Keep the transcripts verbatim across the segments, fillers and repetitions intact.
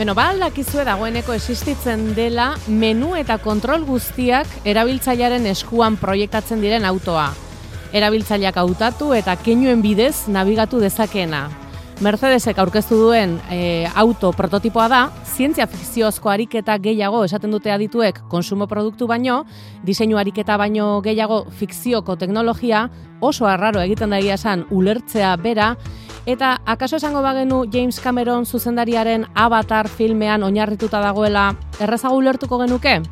Beno, ba aldakizue dagoeneko existitzen dela menu eta kontrol guztiak erabiltzailearen eskuan proiektatzen diren autoa. Erabiltzaileak hautatu eta keinuen bidez nabigatu dezakeena. Mercedesek aurkeztu duen e, auto prototipoa da, zientzia fikziozko ariketa gehiago esaten dute adituek konsumo produktu baino, diseinu ariketa baino gehiago fikzioko teknologia, oso arraro egiten da egia esan ulertzea bera, eta akaso esango bagenu James Cameron zuzendariaren Avatar filmean oinarrituta dagoela errazago ulertuko genuke?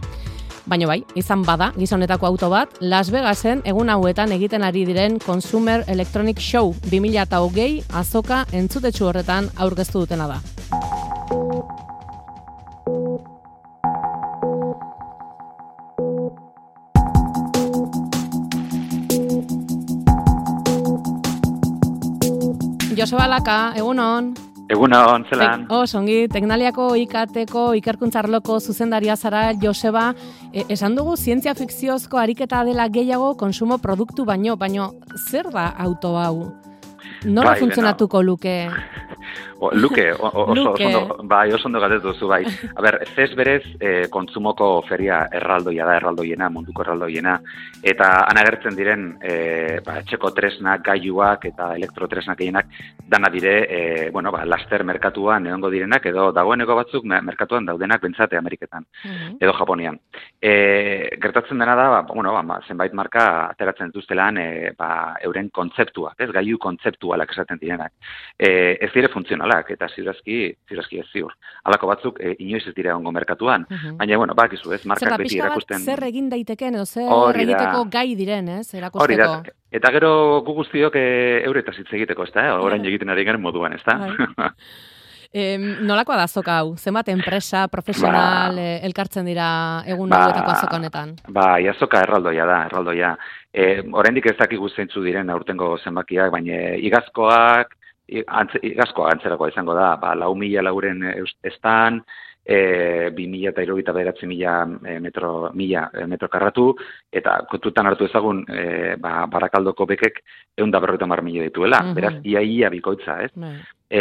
Baina bai, izan bada, gizonetako auto bat, Las Vegasen egun hauetan egiten ari diren Consumer Electronic Show bi mila hogei azoka entzutetsu horretan aurkeztu dutena da. Joseba Laka, egunon. Egunon, zelan. Oh, songi, Teknaliako ikateko ikerkuntzarloko zuzendaria zara, Joseba, e, esan dugu zientzia fikziozko ariketa dela gehiago konsumo produktu baino, baino zer da auto hau? Nola bai, funtzionatuko luke? O, luke, o, o, oso, luke. oso, bai, oso ondo galdez duzu, bai. A ber, zez berez, eh, kontsumoko feria erraldoia da, erraldoiena, munduko erraldoiena, eta anagertzen diren eh, ba, etxeko tresnak, gailuak eta elektrotresnak gehienak dana dire, eh, bueno, ba, laster merkatuan egongo direnak, edo dagoeneko batzuk merkatuan daudenak bentsate Ameriketan, mm-hmm. edo Japonian. E, gertatzen dena da, ba, bueno, ba, zenbait marka ateratzen dituztelan e, ba, euren kontzeptuak, ez, gailu kontzeptualak esaten direnak. E, ez dire funtzionalak, eta ziurazki, ziurazki ez ziur. Halako batzuk e, inoiz ez dira ongo merkatuan, uh-huh. baina, bueno, bakizu, ez, markak Zer, beti erakusten. Zer egin daiteken, edo zer Hori egiteko da. gai diren, ez, erakusteko. Hori da, eta gero gu guztiok e, euretaz hitz egiteko, ez da, eh? Orain egiten ari garen moduan, ez da. E, nolakoa da azoka hau? Zenbat enpresa, profesional, ba, e, elkartzen dira egun ba, hauetako azoka honetan? Ba, azoka erraldoia da, erraldoia. E, oraindik ez dakigu zeintzu diren aurtengo zenbakiak, baina igazkoak, igazkoa antzerakoa izango da, ba, lau mila lauren estan, e, bi mila eta hirurogeita bederatzi mila metro, mila metro karratu, eta kontutan hartu ezagun e, ba, Barakaldoko bekek ehun eta berrogeita hamar milioi dituela, uh-huh. beraz, ia-ia bikoitza, ez? Uh-huh. E,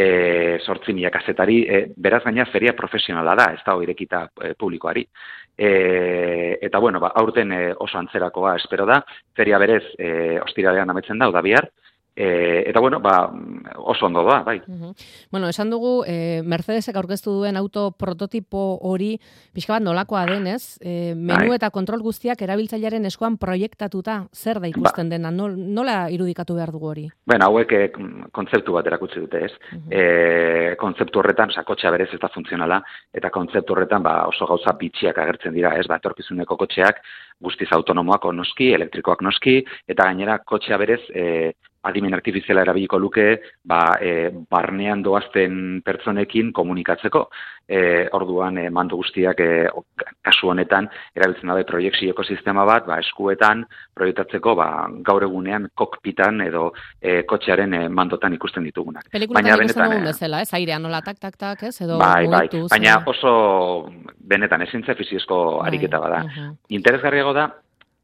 sortzi mila kazetari, e, beraz gaina feria profesionala da, ez da irekita e, publikoari. E, eta bueno, ba, aurten e, oso antzerakoa espero da, feria berez e, ostiralean ametzen da, oda bihar, E, eta bueno, ba, oso ondo da, bai. Uh-huh. Bueno, esan dugu, e, Mercedesek aurkeztu duen auto prototipo hori, pixka bat nolakoa denez, e, menu bai. Eta kontrol guztiak erabiltzailearen eskuan proiektatuta, zer da ikusten ba. Dena, nola irudikatu behar dugu hori? Bueno, hauek e, kontzeptu bat erakutsi dute, ez? Uh-huh. E, kontzeptu horretan, sakotxea berez ez da funtzionala, eta kontzeptu horretan ba, oso gauza bitxiak agertzen dira, ez? Ba, etorkizuneko kotxeak, guztiz autonomoak noski, elektrikoak noski, eta gainera kotxea berez, e, adimen artifiziala erabiliko luke, ba, e, barnean doazten pertsonekin komunikatzeko. E, orduan, e, mando guztiak e, kasu honetan, erabiltzen dabe proiekzioko sistema bat, ba, eskuetan proiektatzeko ba, gaur egunean kokpitan edo e, kotxearen e, mandotan ikusten ditugunak. Pelikulatan ikusten dugun bezala, ez? Airean nola tak, tak, tak, ez? Edo bai, bai, mugituz, baina oso benetan ezintza fiziozko ariketa bada. Uh-huh. Interesgarriago da,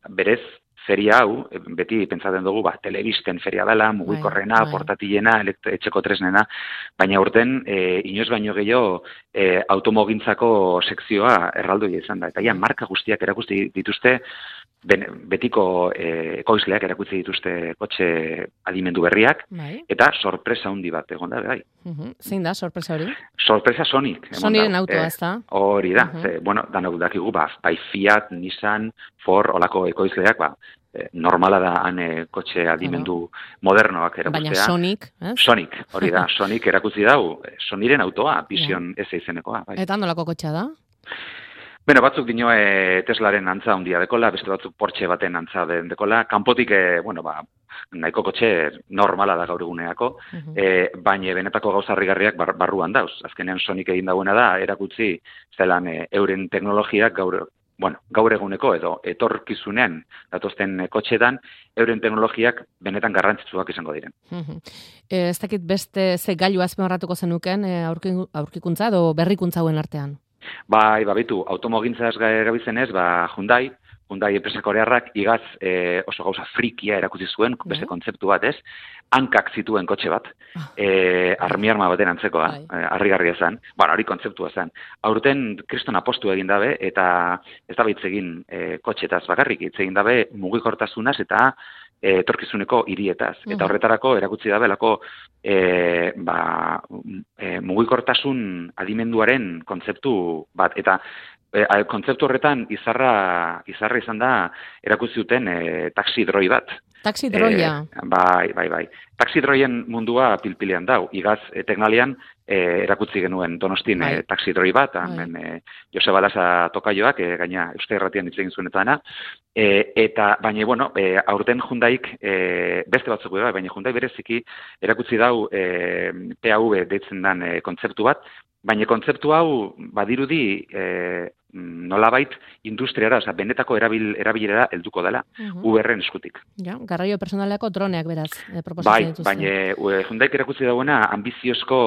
berez, feria hau, beti pentsatzen dugu, ba, telebisten feria dela, mugikorrena, portatilena, etxeko tresnena, baina urten, e, inoiz baino gehiago, e, automogintzako sekzioa erraldoia izan da. Eta ja, marka guztiak erakusti dituzte, ben, betiko e, ekoizleak erakutsi dituzte kotxe adimendu berriak, bai. Eta sorpresa handi bat egon da, bai. Uh-huh. Zein da, sorpresa hori? Sorpresa Sonic. Soniren autoa, ez da? Hori da, uh-huh. Ze, bueno, danok dakigu, ba, bai Fiat, Nissan, Ford, olako ekoizleak, ba, normala da han kotxe adimendu uh-huh. modernoak erakustea. Baina Sonic, eh? Sonic, hori da, Sonic erakutsi dau, Soniren autoa, Vision yeah. S izenekoa. Bai. Eta nolako kotxea da? Beno, batzuk dinoe Teslaren antza handia dekola, beste batzuk Porsche baten antza den dekola, kanpotik, e, bueno, ba, nahiko kotxe normala da gaur eguneako, uh-huh. e, baina benetako gauza harrigarriak bar, barruan dauz. Azkenean Sonic egin dagoena da, erakutsi zelan e, euren teknologiak gaur, bueno, gaur eguneko edo etorkizunean datozten kotxetan, euren teknologiak benetan garrantzitsuak izango diren. Uh-huh. E, ez dakit beste ze gailu azpimarratuko zenuken e, aurkikuntza edo berrikuntza hauen artean? Bai, babitu, automogintzaz gabizenez, ba, Hyundai, Hyundai enpresa korearrak igaz e, oso gauza frikia erakutsi zuen, beste kontzeptu bat, ez? Hankak zituen kotxe bat, e, armi-arma baten antzekoa, e, harrigarria zen. Bueno, hori kontzeptua zen. Aurten kriston apostu egin dabe, eta ez da hitz egin e, kotxetaz bakarrik, hitz egin dabe mugikortasunaz eta e, etorkizuneko hirietaz. Eta horretarako erakutsi dabelako e, ba, e, mugikortasun adimenduaren kontzeptu bat. Eta e, kontzeptu horretan izarra, izarra izan da erakutsi duten e, taxi droi bat. Taxi droia. E, bai, bai, bai. Taxi droien mundua pilpilean dau. Igaz, e, teknalian e, erakutsi genuen Donostin bai. e, taxi droi bat, hemen e, Joseba Laza tokaioak, e, gaina Euskal Herratian hitz egin zuen eta dana. E, eta, baina, bueno, e, aurten Hyundaik, e, beste batzuk da, baina Hyundai bereziki erakutsi dau e, P A V deitzen dan e, kontzeptu bat, baina kontzeptu hau badirudi e, nolabait industriara, oza, benetako erabil, erabilera helduko dela, uh-huh. Uberren eskutik. Ja, garraio personaleko droneak beraz, e, bai, baina e, Hyundaik erakutsi dagoena ambiziozko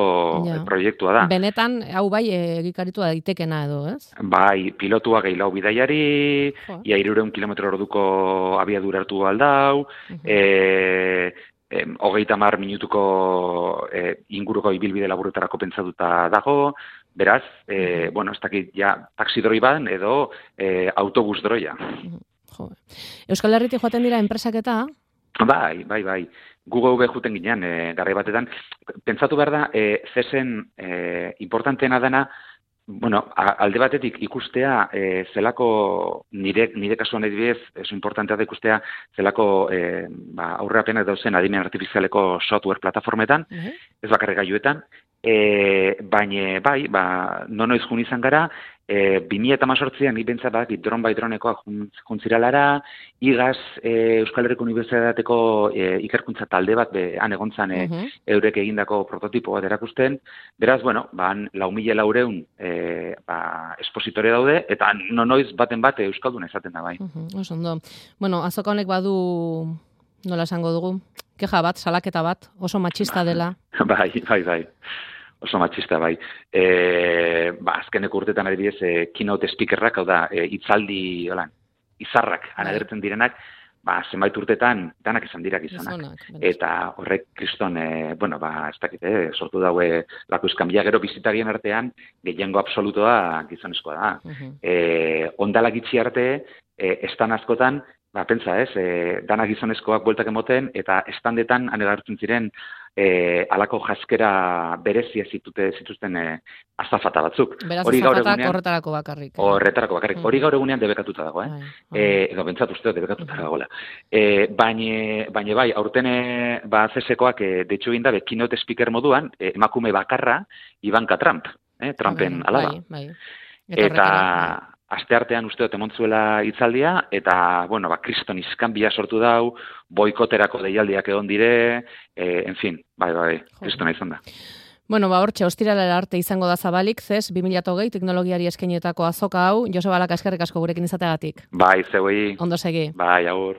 ja. proiektua da. Benetan, hau bai, egikaritu daitekena edo, ez? Bai, pilotua gehiago bidaiari, oh. ia irureun kilometro orduko abiadura hartu aldau, uh-huh. e, e, hogeita mar minutuko e, inguruko ibilbide laburretarako pentsatuta dago, beraz, e, bueno, ez dakit ja taxi droi baden edo e, autobus droia. Jo. Euskal Herritik joaten dira enpresak eta? Bai, bai, bai. Gu geu juten ginean, e, garai batetan. Pentsatu behar da, e, zesen e, importanteena dena, bueno, alde batetik ikustea e, zelako, nire, nire kasuan edibidez, eso importantea da ikustea zelako e, ba, aurrerapenak dauzen adimen artifizialeko software plataformetan, uh-huh. ez bakarrik gailuetan, E, baina, bai, ba, nonoiz jun izan gara, e, bi mila hemezortzian nik bentsat badakit dron bai dronekoak juntziralara, igaz e, Euskal Herriko Unibertsitateko e, ikerkuntza talde bat, be, han egontzan e, uh-huh. eurek egindako prototipo bat erakusten, beraz, bueno, ba, lau mila laureun e, ba, espositore daude, eta nonoiz baten bat Euskalduna izaten da, bai. Uh-huh. Oso ondo. Bueno, azoka honek badu, nola esango dugu, keja bat, salaketa bat, oso matxista dela. Bai, bai, bai. Oso matxista, bai. E, ba, azkeneko urtetan adibidez, e, keynote speakerrak, hau da, e, itzaldi, holan, izarrak, bai. Anagertzen direnak, ba, zenbait urtetan, danak izan dirak izanak. Eta horrek kriston, e, bueno, ba, ez dakit, e, sortu daue lako iskanbila, gero bizitarien artean, gehiengo absolutoa gizonezkoa da. Uh-huh. E, ondalak itxi arte, e, estan askotan, ba, pentsa ez, e, danak gizonezkoak bueltak emoten, eta estandetan anegartzen ziren e, alako jaskera berezia zitute, zituzten e, azafata batzuk. Beraz, azafatak horretarako bakarrik. Eh? Horretarako bakarrik. Hori gaur egunean debekatuta dago, eh? Ai, ai. E, edo, bentsat uste debekatuta dagoela. E, Baina baina bai, aurten ba, C S koak e, deitxu egin dabe, keynote speaker moduan, e, emakume bakarra, Ivanka Trump, eh? Trumpen bai, alaba. Bai, bai. Eta... eta asteartean uste dut emontzuela hitzaldia, eta, bueno, ba, kriston iskanbila sortu dau, boikoterako deialdiak egon dire, e, en fin, bai, bai, kristona izan da. Bueno, ba, hortxe, ostiralera arte izango da zabalik, zez, bi mila hogei teknologiari eskainetako azoka hau, Joseba Laka eskerrik asko gurekin izateagatik. Bai, zeuei. Ondo segi. Bai, agur.